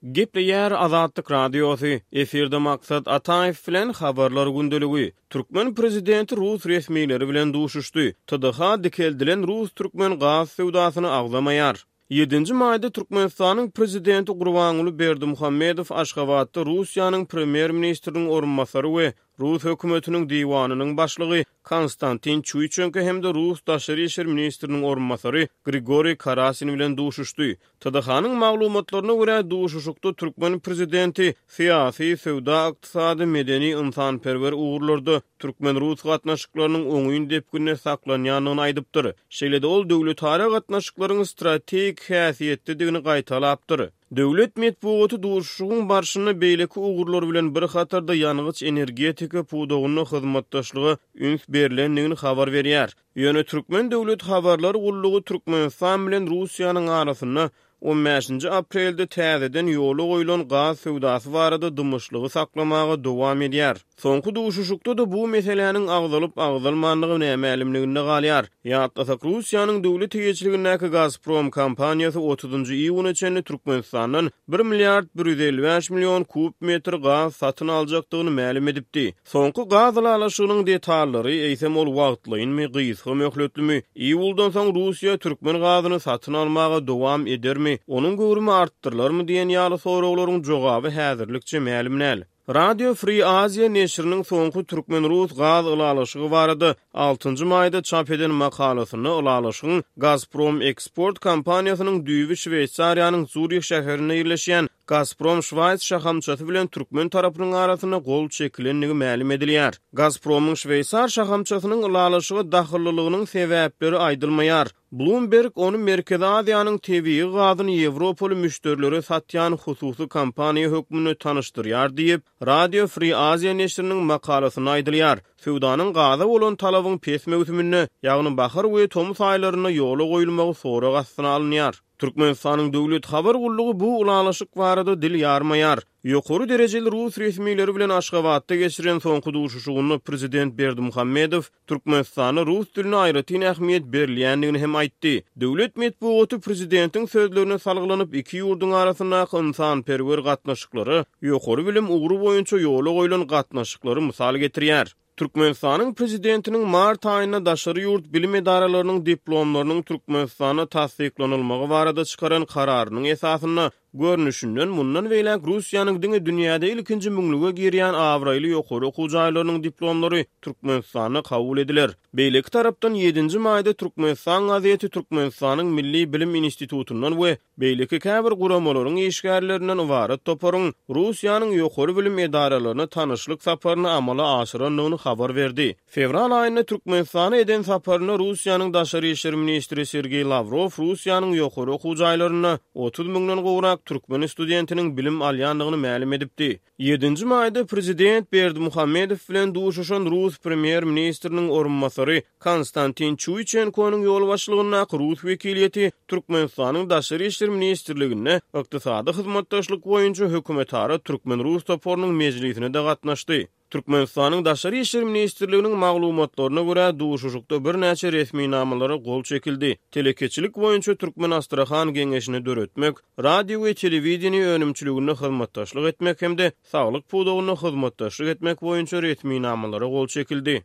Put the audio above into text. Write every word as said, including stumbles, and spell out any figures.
Gepleýär Azatlyk Radiosy, efirde Maksat Ataýew bilen Habarlar gündeligi. Türkmen prezidenti rus resmileri bilen duşuşdy. T D H dikeldilen rus-türkmen gaz söwdasyny agzamaýar. Ýedinji maýda Türkmenistanyň prezidenti Gurbanguly Berdimuhamedow Aşgabatda Russiýanyň premýer-ministriniň orunbasary we Rus hökümetiniň diwanynyň başlygy Konstantin Çuýçenko hem-de Rus daşary işler ministriniň orunbasary Grigoriý Karasin bilen duşuşdy. T D H-nyň maglumatlaryna görä, duşuşykda türkmen prezidenti syýasy, söwda, ykdysady, medeni, ynsanperwer ugurlarda türkmen-rus gatnaşyklarynyň oňyn depginde saklanýandygyny aýdypdyr. Şeýle-de ol döwletara gatnaşyklaryň strategik häsiýetlidigini gaýtalapdyr. Döwlet metbugaty duşuşygyň barşynda beýleki ugurlar bilen bir hatarda ýangyç-energetika pudagynda hyzmatdaşlyga üns berlendigini habar berýär. Ýöne Türkmen döwlet habarlar gullugy Türkmenistan bilen Russiýanyň arasynda on bäşinji aprelde täzeden ýola goýlan gaz söwdasy barada dymyşlygy saklamaga dowam edýär. Soňky duşuşykda-da bu meseläniň agzalyp agzalmandygy nämälimliginde galýar. Ýatlasak, Russiýanyň döwlet eýeçiligindäki Gazprom kompaniýasy otuzynjy iýuna çenli Türkmenistandan bir milliard bir ýüz elli bäş million kub metr gaz satyn aljakdygyny mälim edipdi. Soňky gaz ylalaşygynyň detallary, eýsem ol wagtlaýynmy, gysga möhletlimi, iýuldan soň Russiýa türkmen gazyny satyn almaga dowam edermi, onuň göwrümi artdyrylarmy diýen ýaly soraglaryň jogaby häzirlikçe mälim däl. Radio Free Asia neşiriniň soňky türkmen-rus gaz ylalaşygy barada altynjy maýda çap eden makalasynda ylalaşygyň Gazprom Eksport kompaniýasynyň düýbi Şweýsariýanyň Zurih şäherinde ýerleşýän Gazprom Şwaýs şahamçasy bilen türkmen tarapynyň arasynda gol çekilendigi mälim edilýär. Gazpromyň şweýsar şahamçasynyň ylalaşyga dahyllylygynyň sebäpleri aýdylmaýar. Bloomberg ony Merkezi Aziýanyň tebigy gazyny ýewropaly müşderilere satýan hususy kompaniýa hökmünde tanyşdyrýar diýip, Radio Free Asia neşiriniň makalasynda aýdylýar. Söwdanyň gaza bolan talabyň pes möwsüminde, ýagny bahar we tomus aýlarynda ýola goýulmagy sorag astyna alynýar. Türkmenistanyň döwlet habar gullugy bu ylalaşyk barada dil ýarmaýar. Ýokary derejeli rus resmileri bilen Aşgabatda geçiren soňky duşuşygynda prezident Berdimuhamedow Türkmenistanda rus diline aýratyn ähmiýet berilýändigini hem aýtdy. Döwlet metbugaty prezidentiň sözlerine salgylanyp, iki ýurduň arasyndaky ynsanperwer gatnaşyklary, ýokary bilim ugry boýunça ýola goýlan gatnaşyklary mysal getirýär. Türkmenistanyň prezidentiniň mart aýynda daşary ýurt bilim edaralarynyň diplomlarynyň Türkmenistanda tassyklanylmagy barada çykaran kararynyň esasynda görnüşinden mundan beýläk Russiýanyň diňe dünýäde ilkinji müňlüge girýän abraýly ýokary okuw jaýlarynyň diplomlary Türkmenistanda kabul ediler. Beýleki tarapdan ýedinji maýda Türkmenistan gazeti Türkmenistanyň Milli bilim institutyndan we beýleki käbir guramalaryň işgärlerinden ybarat toparyň Russiýanyň ýokary bilim edaralaryna tanyşlyk saparyny amala aşyrandygyny habar berdi. Fewral aýynda Türkmenistana eden saparynda Russiýanyň daşary işler ministri Sergeý Lawrow Russiýanyň ýokary okuw jaýlarynda otuz müňden gowrak türkmen studentiniň bilim alýandygyny mälim edipdi. Ýedinji maýda prezident Berdimuhamedow bilen duşuşan rus premýer-ministriniň orunbasary Konstantin Çuýçenkonyň ýolbaşçylygyndaky rus wekiliýeti Türkmenistanyň Daşary işler ministrliginde ykdysady hyzmatdaşlyk boýunça hökümetara türkmen-rus toparynyň mejlisine-de gatnaşdy. Türkmenistanyň Daşary işler ministrliginiň maglumatlaryna görä, duşuşykda birnäçe resminamalara gol çekildi. Telekeçilik boýunça Türkmen-Astrahan geňeşini döretmek, radio we telewideniýe önümçiliginde hyzmatdaşlyk etmek hem-de saglyk pudagynda hyzmatdaşlyk etmek boýunça resminamalara gol çekildi.